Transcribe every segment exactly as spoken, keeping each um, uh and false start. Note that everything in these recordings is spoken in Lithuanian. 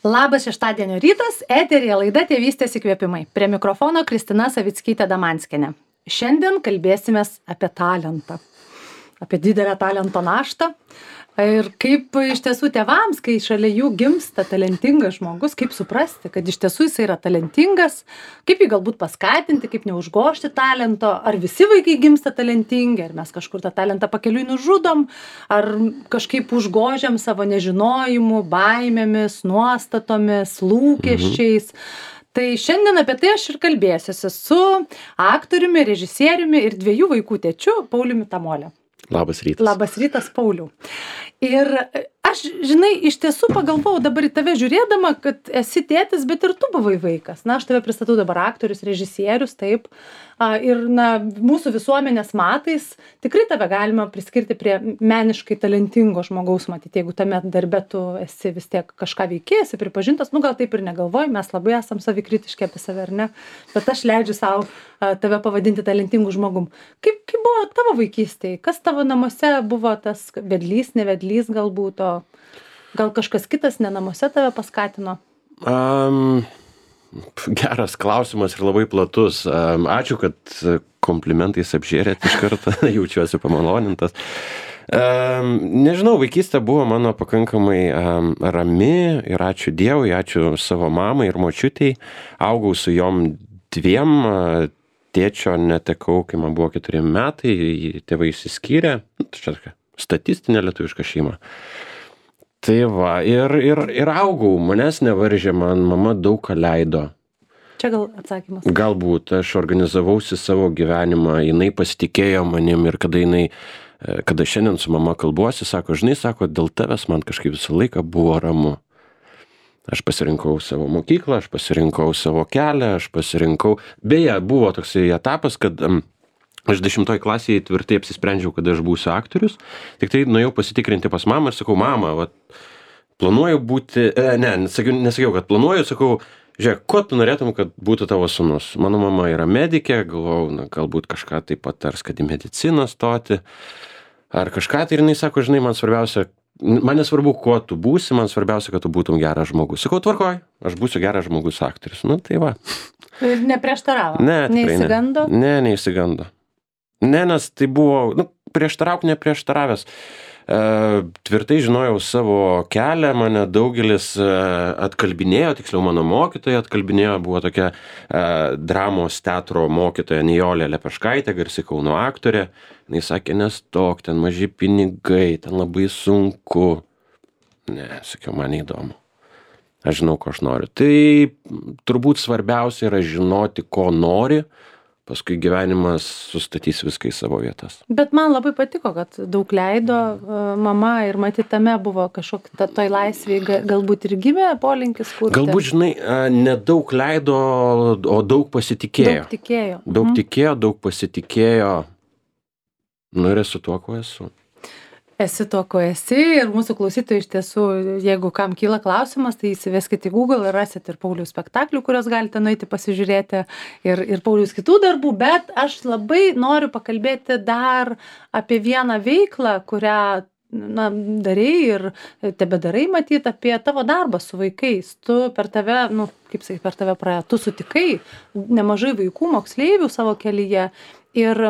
Labas šeštadienio rytas, eteryje laida Tėvystės įkvėpimai. Prie mikrofono Kristina Savickytė Damanskienė. Šiandien kalbėsimės apie talentą, apie didelę talento naštą ir kaip iš tiesų tėvams, kai šalia jų gimsta talentingas žmogus, kaip suprasti, kad iš tiesų jis yra talentingas, kaip jį galbūt paskatinti, kaip neužgožti talento, ar visi vaikai gimsta talentingi, ar mes kažkur tą talentą pakeliui nužudom, ar kažkaip užgožiam savo nežinojimu, baimėmis, nuostatomis, lūkesčiais. Mhm. Tai šiandien apie tai aš ir kalbėsiuosi su aktoriumi, režisieriumi ir dviejų vaikų tėčiu Pauliumi Tamolė. Labas rytas. Labas rytas, Pauliau. Ir aš, žinai, iš tiesų pagalvojau dabar į tave žiūrėdama, kad esi tėtis, bet ir tu buvai vaikas. Na, aš tave pristatau dabar aktorius, režisierius, taip. Ir, na, mūsų visuomenės matais tikrai tave galima priskirti prie meniškai talentingo žmogaus, matyti, jeigu tame darbe tu esi vis tiek kažką veiki, esi pripažintas, nu gal taip ir negalvoji, mes labai esam savikritiški apie save, ar ne? Bet aš leidžiu savo tave pavadinti talentingu žmogum. Kaip, kaip buvo tavo vaikystėje? Kas tavo namuose buvo tas vedlys, nevedlys galbūt, o gal kažkas kitas ne namuose tave paskatino? Um, geras klausimas ir labai platus. Um, ačiū, kad komplimentais apžėrėt iš karto, jaučiuosi pamalonintas. Um, nežinau, vaikystė buvo mano pakankamai um, rami ir ačiū Dievui, ačiū savo mamai ir močiutei. Augau su jom dviem, tėčio netekau, kai man buvo keturi metai, tėvai išsiskyrė, čia statistinė lietuviška šeima. Tai va, ir, ir, ir augau, manęs nevaržė, man mama daug ką leido. Čia gal atsakymas. Galbūt aš organizavausi savo gyvenimą, jinai pasitikėjo manim ir kada jinai, kada šiandien su mama kalbuosi, sako, žinai, sako, dėl tavęs man kažkaip visą laiką buvo ramu. Aš pasirinkau savo mokyklą, aš pasirinkau savo kelią, aš pasirinkau... Beje, buvo toksai etapas, kad um, aš dešimtoj klasėje tvirtai apsisprendžiau, kad aš būsiu aktorius. Tik tai nuėjau pasitikrinti pas mamą ir sakau, mama, vat, planuoju būti... E, ne, nesakiau, nesakiau, kad planuoju, sakau, žiūrėk, ko tu norėtum, kad būtų tavo sūnus? Mano mama yra medikė, galvojau, na, galbūt kažką taip patars, kad į mediciną stoti. Ar kažką, tai ir jinai sako, žinai, man svarbiausia... Man nesvarbu, kuo tu būsi, man svarbiausia, kad tu būtum geras žmogus. Sakau, tvarkoj, aš būsiu geras žmogus aktorius. Nu, tai va. Ir neprieštaravo? Ne, neįsigando? Ne, ne, neįsigando. Ne, nes tai buvo, nu, prieštarauk neprieštaravęs. E, tvirtai žinojau savo kelią, mane daugelis e, atkalbinėjo, tiksliau mano mokytoja atkalbinėjo, buvo tokia e, dramos teatro mokytoja Nijolė Lepeškaitė, garsi Kauno aktorė. Jis sakė, nestok, ten maži pinigai, ten labai sunku. Ne, sakiau, man neįdomu. Aš žinau, ko aš noriu. Tai turbūt svarbiausia yra žinoti, ko nori, paskui gyvenimas sustatys viską į savo vietas. Bet man labai patiko, kad daug leido mama ir matyt tame buvo kažkokia toj laisvėje, galbūt ir gimė polinkis kurti. Galbūt, žinai, nedaug leido, o daug pasitikėjo. Daug tikėjo. Daug mhm. tikėjo, daug pasitikėjo. Nu ir esu tuo, ko esu. Esi tuo, ko esi ir mūsų klausytojai iš tiesų, jeigu kam kyla klausimas, tai įsiveskite į Google ir rasit ir Pauliaus spektaklių, kurios galite nueiti pasižiūrėti ir, ir Pauliaus kitų darbų, bet aš labai noriu pakalbėti dar apie vieną veiklą, kurią na, darai ir tebedarai matyti apie tavo darbą su vaikais. Tu per tave, nu, kaip sakai, per tave praėjo, tu sutikai nemažai vaikų, moksleivių savo kelyje ir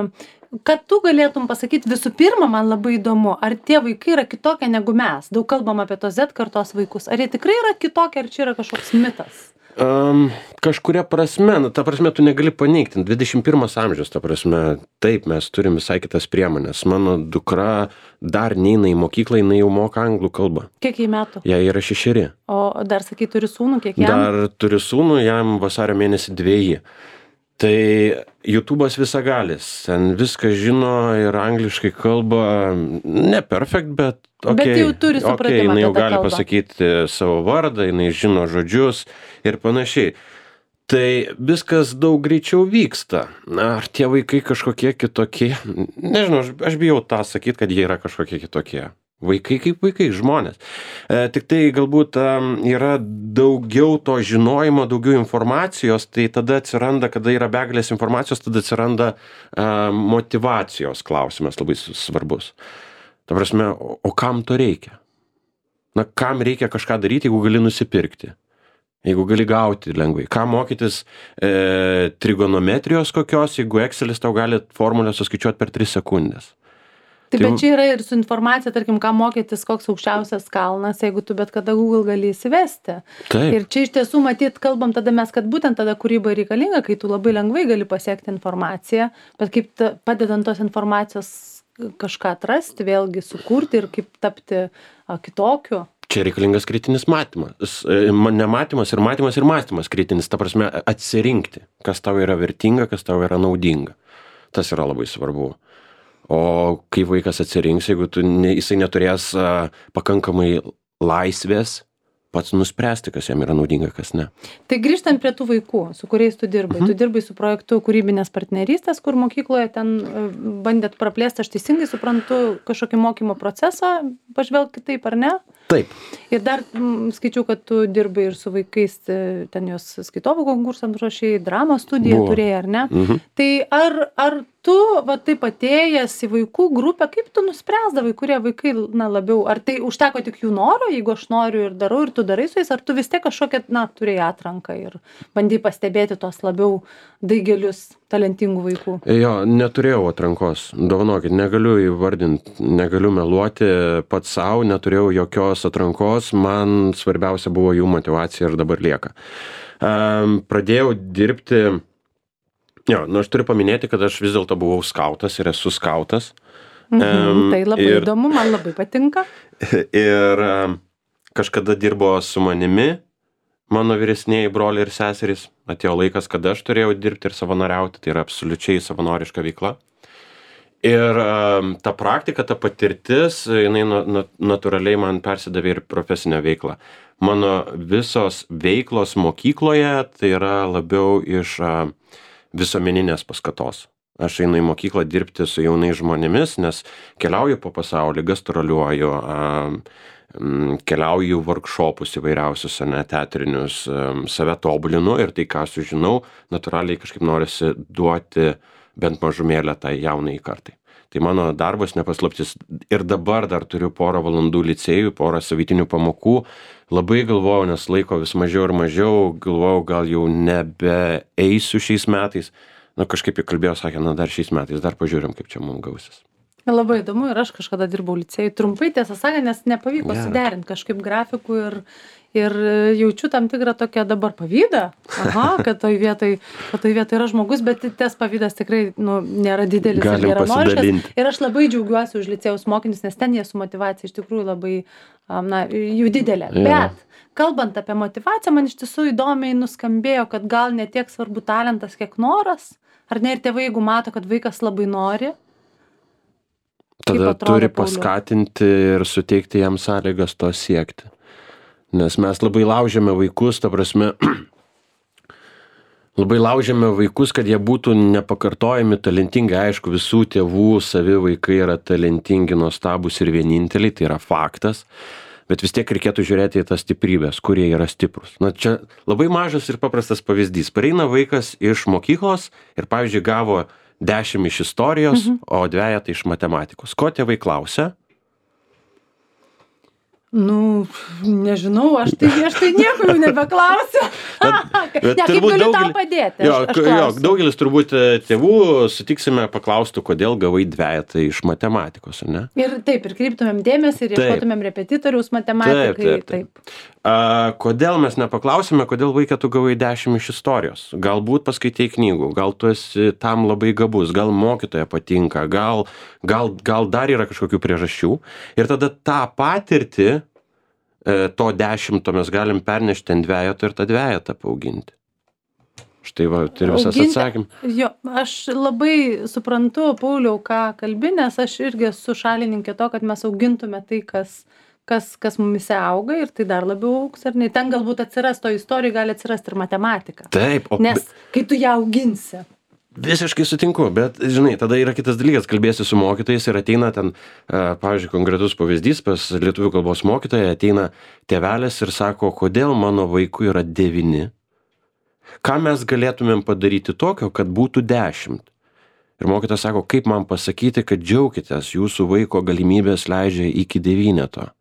kad tu galėtum pasakyti visų pirma, man labai įdomu, ar tie vaikai yra kitokie negu mes? Daug kalbam apie tos Z kartos vaikus. Ar jie tikrai yra kitokie, ar čia yra kažkoks mitas? Um, kažkuria prasme, nu, ta prasme, tu negali paneigti. dvidešimt pirmas amžius, ta prasme, taip, mes turim visai kitas priemonės. Mano dukra dar neina į mokyklą, jinai jau moka anglų kalbą. Kiek jai metų? Jai yra šešeri. O dar, sakai, turi sūnų, kiek jam? Dar turi sūnų, jam vasario mėnesį dveji. Tai YouTube'as visagalis, ten viską žino ir angliškai kalba, ne perfect, bet okay, bet jau turi supratimą, okay, jinai jau apie tą gali kalbą. pasakyti savo vardą, jinai žino žodžius ir panašiai. Tai viskas daug greičiau vyksta. Ar tie vaikai kažkokie kitokie? Nežinau, aš, aš bijau tą sakyti, kad jie yra kažkokie kitokie. Vaikai kaip vaikai, žmonės. E, tik tai galbūt um, yra daugiau to žinojimo, daugiau informacijos, tai tada atsiranda, kada yra begalės informacijos, tada atsiranda um, motyvacijos klausimas labai svarbus. Ta prasme, o, o kam to reikia? Na, kam reikia kažką daryti, jeigu gali nusipirkti? jeigu gali gauti lengvai? Ką mokytis e, trigonometrijos kokios, jeigu Excelis tau gali formulę suskaičiuoti per tris sekundės? Tai bet čia yra ir su informacija, tarkim, ką mokytis, koks aukščiausias kalnas, jeigu tu bet kada Google gali įsivesti. Taip. Ir čia iš tiesų, matyt, kalbam tada mes, kad būtent tada kūryba reikalinga, kai tu labai lengvai gali pasiekti informaciją, bet kaip ta, padedant tos informacijos kažką atrasti, vėlgi sukurti ir kaip tapti a, kitokiu. Čia reikalingas kritinis matymas. Nematymas ir matymas ir mąstymas kritinis, ta prasme atsirinkti, kas tau yra vertinga, kas tau yra naudinga. Tas yra labai svarbu. O kaip vaikas atsirinks, jeigu tu ne, jisai neturės a, pakankamai laisvės pats nuspręsti, kas jam yra naudinga, kas ne. Tai grįžtant prie tų vaikų, su kuriais tu dirbai. Mhm. Tu dirbai su projektu kūrybinės partnerystės, kur mokykloje ten bandėt praplėsti, aš teisingai suprantu, kažkokį mokymo procesą, pažvelg kitaip, ar ne? Taip. Ir dar m, skaičiau, kad tu dirbai ir su vaikais, ten jos skaitovų konkursams ruošiai, dramos studiją Buvo. turėjai, ar ne? Mhm. Tai ar, ar tu, va taip atėjęs į vaikų grupę, kaip tu nuspręsdavai, kurie vaikai, na, labiau, ar tai užteko tik jų noro, jeigu aš noriu ir darau, ir tu darai su jais, ar tu vis tiek kažkokią, na, turėjai atranką ir bandai pastebėti tos labiau daigelius talentingų vaikų? Jo, neturėjau atrankos, dovanokit, negaliu įvardinti, negaliu meluoti pats savo, neturėjau jokios atrankos, man svarbiausia buvo jų motyvacija ir dabar lieka. Um, pradėjau dirbti. Jo, nu aš turiu paminėti, kad aš vis dėlto buvau skautas ir esu skautas. Mhm, um, tai labai ir, įdomu, man labai patinka. Ir um, kažkada dirbo su manimi, mano vyresnieji broliai ir seserys. Atėjo laikas, kada aš turėjau dirbti ir savanoriauti, tai yra absoliučiai savanoriška veikla. Ir um, ta praktika, ta patirtis, jinai na, na, natūraliai man persidavė ir profesinę veiklą. Mano visos veiklos mokykloje tai yra labiau iš uh, visuomeninės paskatos. Aš einu į mokyklą dirbti su jaunais žmonėmis, nes keliauju po pasaulį, gastroliuoju, keliauju workshopus įvairiausius, ne, teatrinius, save tobulinu ir tai, ką sužinau, natūraliai kažkaip norisi duoti bent mažumėlę tai jaunai kartai. Tai mano darbas nepaslaptis ir dabar dar turiu porą valandų licėjų, porą savaitinių pamokų. Labai galvojau, nes laiko vis mažiau ir mažiau, galvojau, gal jau nebeeisiu šiais metais. Nu, kažkaip įkalbėjau, sakė, na dar šiais metais, dar pažiūrim, kaip čia mums gausis. Labai įdomu ir aš kažkada dirbau licėjui. Trumpai, tiesą sakant, nes nepavyko Geras. suderinti kažkaip grafikų ir, ir jaučiu tam tikrą tokią dabar pavydą. Aha, kad toj vietoj, kad toj vietoj yra žmogus, bet tas pavydas tikrai, nu, nėra didelis Galim ir geranoriškas. pasidalinti. Ir aš labai džiaugiuosi už licėjaus mokinius, nes ten jie su motyvacija iš tikrųjų labai, am, na, jų didelė. Jo. Bet kalbant apie motyvaciją, man iš tiesų įdomiai nuskambėjo, kad gal ne tiek svarbu talentas, kiek noras. Ar ne, ir tėvai, jeigu mato, kad vaikas labai nori, Tada atrodo, turi Pauliau? paskatinti ir suteikti jam sąlygas to siekti. Nes mes labai laužiame vaikus, ta prasme, labai laužiame vaikus, kad jie būtų nepakartojami, talentingi. Aišku, visų tėvų savi vaikai yra talentingi, nuostabūs ir vieninteliai, tai yra faktas. Bet vis tiek reikėtų žiūrėti į tas stiprybės, kurie yra stiprus. Na, čia labai mažas ir paprastas pavyzdys. Pareina vaikas iš mokyklos ir, pavyzdžiui, gavo dešimt iš istorijos, mhm. o dvejetą iš matematikos. Ko tėvai klausia? Nu, nežinau, aš tai, aš tai nieko jau nebeklausiu. Bet, bet ne, kaip turbūt galiu tau daugelis- padėti? Jo, aš, aš jo, klausiu. daugelis turbūt e, tėvų sutiksime paklaustų, kodėl gavai dvejetą iš matematikos, ar ne? Ir taip, ir kreiptumėm dėmesį, ir Taip. ieškotumėm repetitoriaus matematikai. Taip, taip, taip. A, kodėl mes nepaklausime, kodėl vaiką tu gavai dešimt iš istorijos? Galbūt paskaitai knygų, gal tu esi tam labai gabus, gal mokytoja patinka, gal, gal, gal dar yra kažkokių priežasčių. Ir tada tą patirtį, e, to dešimto mes galim pernešti ant dvejeto ir tą dvejetą paauginti. Štai va, tai visas Auginti- atsakymas. Jo, aš labai suprantu, Pauliau, ką kalbi, nes aš irgi esu šalininkė to, kad mes augintume tai, kas, kas, kas mumise auga ir tai dar labiau augs, ar ne? Ten galbūt atsiras, to istorijoje gali atsirasti ir matematika. Taip, o Nes kai tu ją auginsi. visiškai sutinku, bet, žinai, tada yra kitas dalykas, kalbėsi su mokytojais ir ateina ten, e, pavyzdžiui, konkretus pavyzdys, pas lietuvių kalbos mokytoją ateina tėvelis ir sako, kodėl mano vaikui yra devyni. Ką mes galėtumėm padaryti tokio, kad būtų dešimt? Ir mokytojas sako, kaip man pasakyti, kad džiaukitės, jūsų vaiko galimybės leidžia iki devyneto.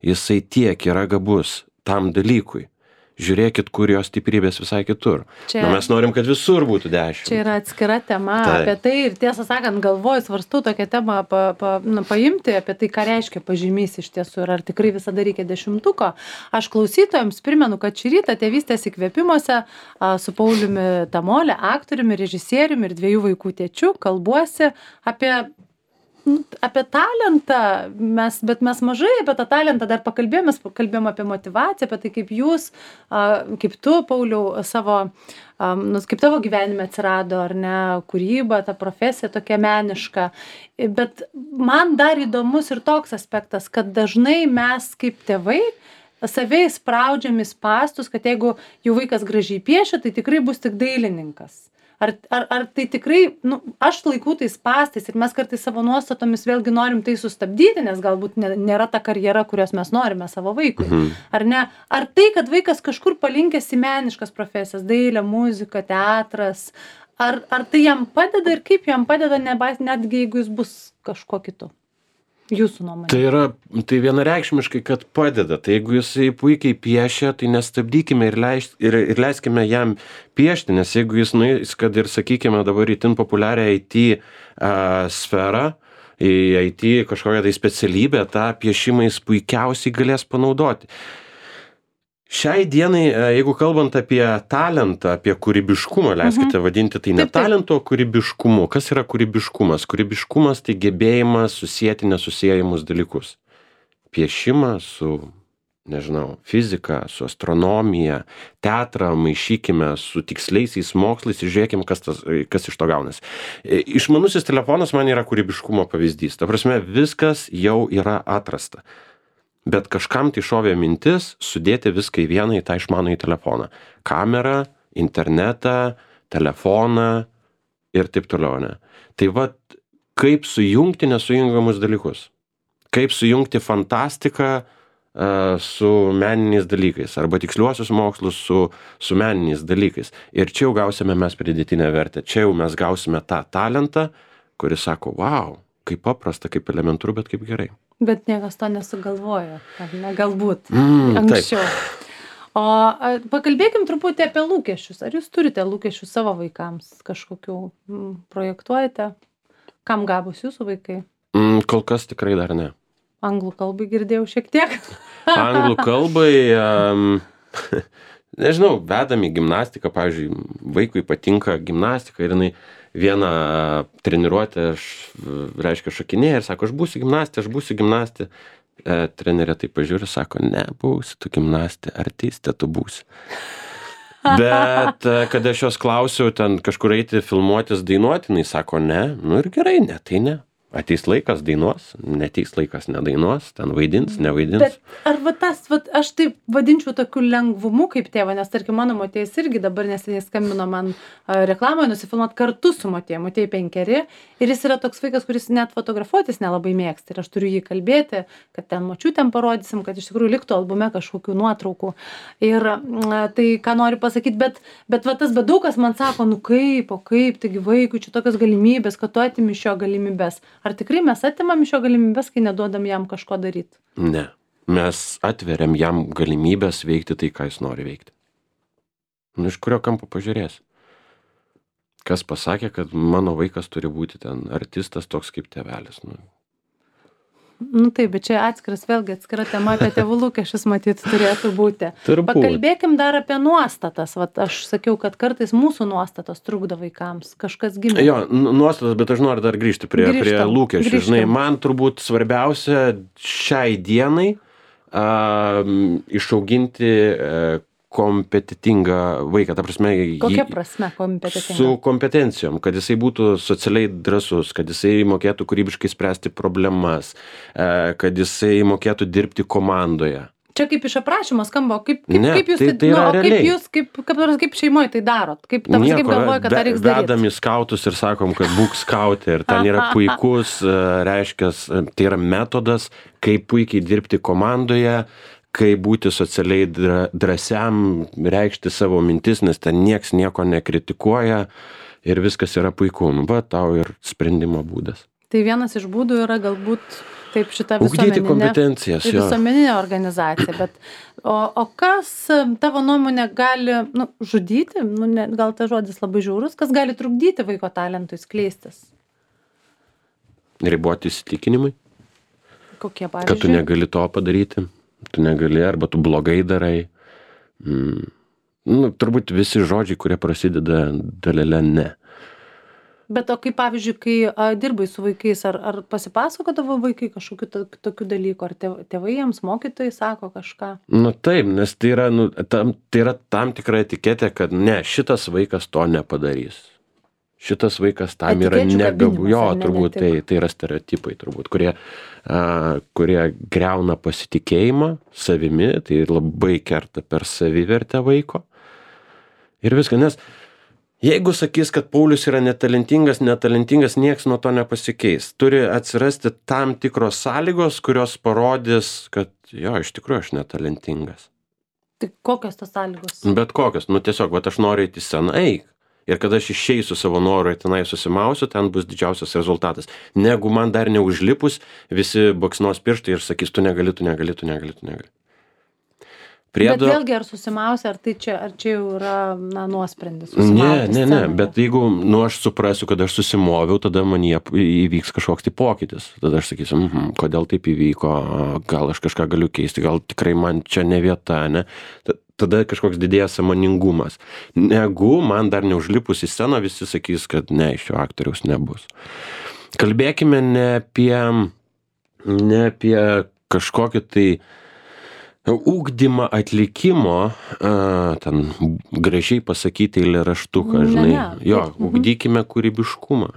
Jisai tiek yra gabus tam dalykui. žiūrėkit, kur jos stiprybės visai kitur. Čia, Na, mes norim, kad visur būtų dešimt. Čia yra atskira tema Tai. apie tai ir tiesą sakant, galvoju, svarstu tokią temą pa, pa, na, paimti, apie tai, ką reiškia pažymys iš tiesų ir ar tikrai visada reikia dešimtuko. Aš klausytojams primenu, kad šį rytą tėvystės įkvėpimuose a, su Pauliumi Tamolė, aktoriumi, režisieriumi ir dviejų vaikų tėčiu kalbuosi apie apie talentą, mes, bet mes mažai apie tą talentą dar pakalbėjome, mes pakalbėjome apie motivaciją, apie tai, kaip jūs, kaip tu, Pauliau, savo, nu, kaip tavo gyvenime atsirado, ar ne, kūryba, ta profesija tokia meniška. Bet man dar įdomus ir toks aspektas, kad dažnai mes kaip tėvai save įspraudžiam į spąstus, kad jeigu jų vaikas gražiai piešia, tai tikrai bus tik dailininkas. Ar, ar, ar tai tikrai, nu, aš laikau tai spąstais ir mes kartais savo nuostatomis vėlgi norim tai sustabdyti, nes galbūt nėra ta karjera, kurios mes norime savo vaikui. Mhm. Ar ne? Ar tai, kad vaikas kažkur palinkęs į meniškas profesijas, dailė, muzika, teatras, ar, ar tai jam padeda ir kaip jam padeda, nebais, netgi jeigu jis bus kažko kitu? Jūsų nuomonė. Tai yra, tai vienareikšmiškai, kad padeda. Tai jeigu jisai puikiai piešia, tai nestabdykime ir, leiš, ir, ir leiskime jam piešti, nes jeigu jis nueis, kad ir, sakykime, dabar itin populiarią I T uh, sferą, į I T kažkokią tai specialybę, tą piešimą jis puikiausiai galės panaudoti. Šiai dienai, jeigu kalbant apie talentą, apie kūrybiškumą, leiskite vadinti, tai ne talento, o kūrybiškumu. Kas yra kūrybiškumas? Kūrybiškumas tai gebėjimas susijęti nesusiejamus dalykus. Piešimą su, nežinau, fizika, su astronomija, teatrą maišykime su tiksliaisiais mokslais ir žiūrėkime, kas, tas, kas iš to gaunasi. Išmanusis telefonas man yra kūrybiškumo pavyzdys. Ta prasme, viskas jau yra atrasta. Bet kažkam tai šovė mintis sudėti viską į vieną į tą išmanųjį telefoną. Kamerą, internetą, telefoną ir taip toliau, ne? Tai va, kaip sujungti nesujungiamus dalykus? Kaip sujungti fantastiką uh, su meniniais dalykais? Arba tiksliuosius mokslus su, su meniniais dalykais? Ir čia jau gausime mes pridėtinę vertę. Čia jau mes gausime tą talentą, kuris sako, wow, kaip paprasta, kaip elementaru, bet kaip gerai. Bet niekas to nesugalvojo, ar ne, galbūt mm, anksčiau. Taip. O pakalbėkim truputį apie lūkesčius. Ar jūs turite lūkesčių savo vaikams kažkokių mm, projektuojate? Kam gabus jūsų vaikai? Mm, kol kas tikrai dar ne. Anglų kalbai girdėjau šiek tiek. Anglų kalbai, um, nežinau, vedam į gimnastiką, pavyzdžiui, vaikui patinka gimnastika ir jinai vieną treniruotę, aš, reiškia, šokinėja ir sako, aš būsiu gimnastė, aš būsiu gimnastė. E, trenerė tai pažiūri, sako, ne, būsi tu gimnastė, artistė tu būsi. Bet kada aš jos klausiau ten kažkur eiti, filmuotis, dainuoti, jinai sako, ne, nu ir gerai, ne, tai ne. Ateis laikas dainuos, neteis laikas nedainuos, ten vaidins, nevaidins. Bet ar va tas, va, aš taip vadinčiau tokiu lengvumu kaip tėva, nes tarkim mano motėjas irgi dabar neseniai skambino man reklamoje nusifilmuot kartu su motėja, motėjai penkeri ir jis yra toks vaikas, kuris net fotografuotis nelabai mėgsta ir aš turiu jį kalbėti, kad ten močiutėm parodysim, kad iš tikrųjų liktų albume kažkokių nuotraukų. Ir tai, ką noriu pasakyti, bet, bet va tas bedukas man sako, nu kaip, o kaip, taigi vaikui čia tokios galimybės, kad tu atimi šio galimybės. Ar tikrai mes atimam iš jo galimybės, kai neduodam jam kažko daryti? Ne. Mes atveriam jam galimybės veikti tai, ką jis nori veikti. Nu, iš kurio kampo pažiūrės? Kas pasakė, kad mano vaikas turi būti ten artistas toks kaip tėvelis? Nu, nu taip, bet čia atskiras, vėlgi atskira tema apie tėvų lūkesčius matyt turėtų būti. Turbūt. Pakalbėkim dar apie nuostatas. Vat aš sakiau, kad kartais mūsų nuostatos trukdo vaikams. Kažkas gimė. Jo, nuostatas, bet aš noriu dar grįžti prie, Grįžtam, prie lūkesčių. grįžtam. Žinai, man turbūt svarbiausia šiai dienai a, išauginti a, kompetitingą vaiką. Ta prasme, Kokia jį- prasme kompetitinga? su kompetencijom, kad jisai būtų socialiai drąsus, kad jisai mokėtų kūrybiškai spręsti problemas, e, kad jisai mokėtų dirbti komandoje. Čia kaip iš aprašymo skamba, o kaip, kaip, Ne, kaip jūs tai- tai, tai nu, yra o kaip realiai. jūs, kaip, kaip, kaip, kaip šeimoje tai darot? Kaip, ta prasme, kaip galvoja, kad tą reiks daryti? vedam į skautus ir sakom, kad būk skautė ir ten yra puikus, e, reiškia, tai yra metodas, kaip puikiai dirbti komandoje, kaip būti socialiai dra- drąsiam, reikšti savo mintis, nes ten nieks nieko nekritikuoja ir viskas yra puiku. Nu, va, tau ir sprendimo būdas. Tai vienas iš būdų yra galbūt taip, šita Ugdyti visuomeninė, kompetencijas, jo. visuomeninė organizacija, bet o, o kas tavo nuomonė gali nu, žudyti, nu, ne, gal tas žodis labai žiaurus, kas gali trukdyti vaiko talentui skleistis? Riboti įsitikinimai, Kokie, kad tu pavyzdžiui? negali to padaryti, tu negali arba tu blogai darai. Mm. Nu, turbūt visi žodžiai, kurie prasideda dalele ne. Bet o kaip, pavyzdžiui, kai a, dirbai su vaikais, ar, ar pasipasakodavo vaikai kažkokių to, tokių dalykų, ar tėv- tėvai jiems, mokytojai sako kažką? Nu taip, nes tai yra, nu, tam, tai yra tam tikra etiketė, kad ne, šitas vaikas to nepadarys. Šitas vaikas tam yra Etikečių negabu. kabinimas, Jo, ar ne, ne turbūt tik? tai, tai yra stereotipai, turbūt, kurie, a, kurie greuna pasitikėjimą savimi, tai labai kerta per savivertę vaiko. Ir viską, nes jeigu sakys, kad Paulius yra netalentingas, netalentingas, nieks nuo to nepasikeis. Turi atsirasti tam tikros sąlygos, kurios parodys, kad jo, iš tikrųjų aš netalentingas. Tai kokios tos sąlygos? Bet kokios, nu tiesiog, vat aš noriu eiti į sceną, eik. Ir kada aš išeisiu savo noru ir tenai susimausiu, ten bus didžiausias rezultatas. Negu man dar neužlipus, visi baksnos pirštai ir sakys, tu negali, tu negali, tu negali, tu negali. Priedo... Bet vėlgi, ar susimausia, ar tai čia, ar čia jau yra, na, nuosprendis? Ne, susimauti ne, ne, scenoje? bet jeigu, nu, aš suprasiu, kad aš susimoviau, tada man jie įvyks kažkoks tai pokytis. Tada aš sakysiu, mhm, kodėl taip įvyko, gal aš kažką galiu keisti, gal tikrai man čia ne vieta, ne? Tada kažkoks didėja sąmoningumas. Negu man dar neužlipus į sceną, visi sakys, kad ne, iš šio aktoriaus nebus. Kalbėkime ne apie, ne apie kažkokį tai ugdymą atlikimo, a, ten gražiai pasakyti eilėraštuką, Ne, žinai. ne. Jo, Mhm. ugdykime kūrybiškumą,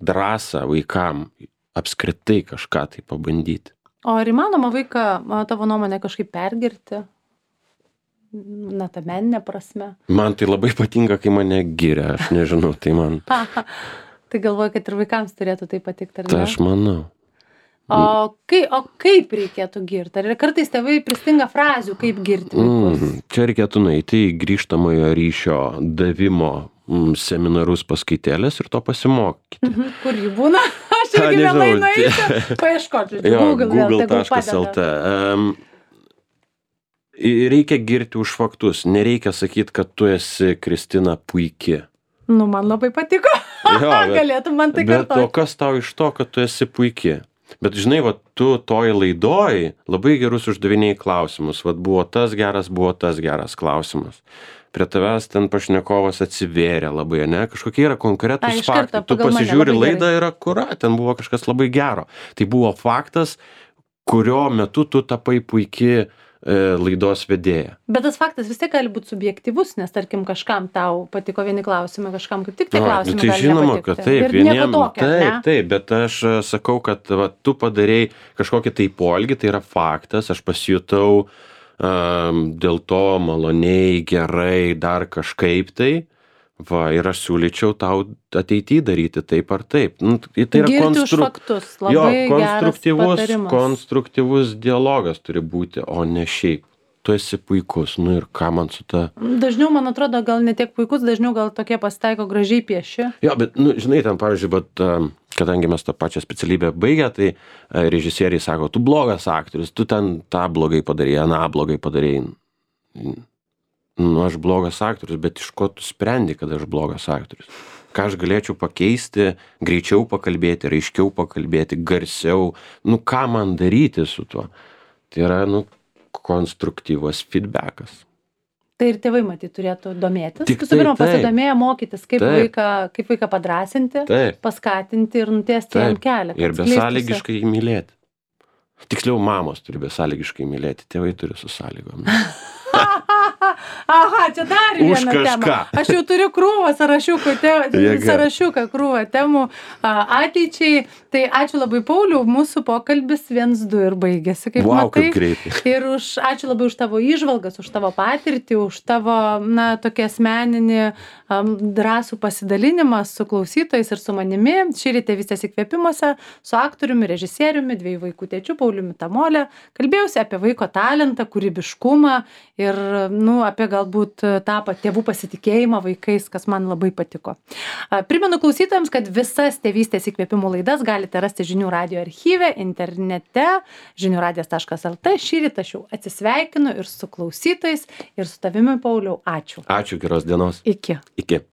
drąsą vaikam, apskritai kažką tai pabandyti. O ar įmanoma vaiką, a, tavo nuomonė, kažkaip pergirti? Na, ta meninė prasme. Man tai labai patinka, kai mane giria, aš nežinau, tai man, Tai galvoju, kad ir vaikams turėtų tai patikti, ar tai ne? aš manau. O, kai, o kaip reikėtų girti? Ar kartais tėvai pristinga frazių, kaip girti vaikus? Mm, čia reikėtų nueiti į grįžtamojo ryšio davimo mm, seminarus paskaitėlės ir to pasimokyti. Mhm, kur jį būna? Aš A, irgi nežinau, vėlai tai- nueisiu. Paieškoti, Jo, Google, vėl google tegul taškas el t. padeda. Um, reikia girti už faktus, nereikia sakyti, kad tu esi Kristina puiki. Nu, man labai patiko. Jo, bet- Galėtum man tai Bet o kartoti. kas tau iš to, kad tu esi puiki? Bet žinai, va, tu toj laidoj labai gerus uždavinėjai klausimus. Vat buvo tas geras, buvo tas geras klausimas. Prie tavęs ten pašnekovas atsivėrė labai, ne? Kažkokie yra Ai, konkretūs iš karto faktai. Tu pagal mane, pasižiūri labai laidą ir akura, ten buvo kažkas labai gero. Tai buvo faktas, kurio metu tu tapai puiki e, laidos vedėja. Bet tas faktas vis tiek gali būti subjektyvus, nes tarkim kažkam tau patiko vieni klausimai, kažkam kaip tik tai O, klausimai tai gali žinoma, nepatikti. kad taip, Ir nieko tokio, taip, ne? taip, bet aš e, sakau, kad va, tu padarei kažkokį tai poelgį, tai yra faktas, aš pasijutau um, dėl to maloniai, gerai, dar kažkaip tai. Va, ir aš siūlyčiau tau ateityje daryti taip ar taip. Nu, tai yra Girti už konstru... faktus, jo, labai geras konstruktyvus, patarimas. konstruktyvus dialogas turi būti, o ne šiaip. Tu esi puikus, nu ir ką man su ta... Dažniau, man atrodo, gal ne tiek puikus, dažniau gal tokie pasitaiko gražiai pieši. Jo, bet, nu, žinai, ten, pavyzdžiui, bet, um, kadangi mes tą pačią specialybę baigę, tai uh, režisieriai sako, tu blogas aktorius, tu ten tą blogai padarėjai, aną blogai padarėjai. Nu, aš blogas aktorius, bet iš ko tu sprendi, kad aš blogas aktorius? Ką aš galėčiau pakeisti, greičiau pakalbėti, raiškiau pakalbėti, garsiau, nu, ką man daryti su tuo? Tai yra, nu, konstruktyvus feedbackas. Tai ir tėvai, matyt, turėtų domėtis. Tik Visų pirma, tai, taip. pasidomėję mokytis, kaip Taip. vaiką, kaip vaiką padrasinti, Taip, paskatinti ir nutiesti jam taip. kelią. kad Ir skleistųsi. besąlygiškai jį mylėti. Tiksliau, mamos turi besąlygiškai mylėti, tėvai turi su sąlygom. Aha, čia dar Už viena tema. kažką. Aš jau turiu krūvą sąrašiukų, te, Jėga. sąrašiuką krūvą temų a, ateičiai. Tai ačiū labai, Pauliau, mūsų pokalbis viens du ir baigėsi, kaip Vau, matai. kaip greitai. Ir už, ačiū labai už tavo įžvalgas, už tavo patirtį, už tavo, na, tokį asmeninį um, drąsų pasidalinimą su klausytojais ir su manimi. Šįryt Tėvystės įkvėpimuose su aktoriumi, režisieriumi, dviejų vaikų tėčiu Pauliumi Tamolė. Kalbėjausi apie vaiko talentą, kūrybiškumą ir nu, apie galbūt tą pa- tėvų pasitikėjimą vaikais, kas man labai patiko. A, Primenu klausytojams, kad visas tėvystės įkvėpimų laidas galite rasti žinių radio archyve, internete, žinių radijas taškas el tė. Šį rytą aš jau atsisveikinu ir su klausytojais, ir su tavimi, Pauliau. Ačiū. Ačiū, geros dienos. Iki. Iki.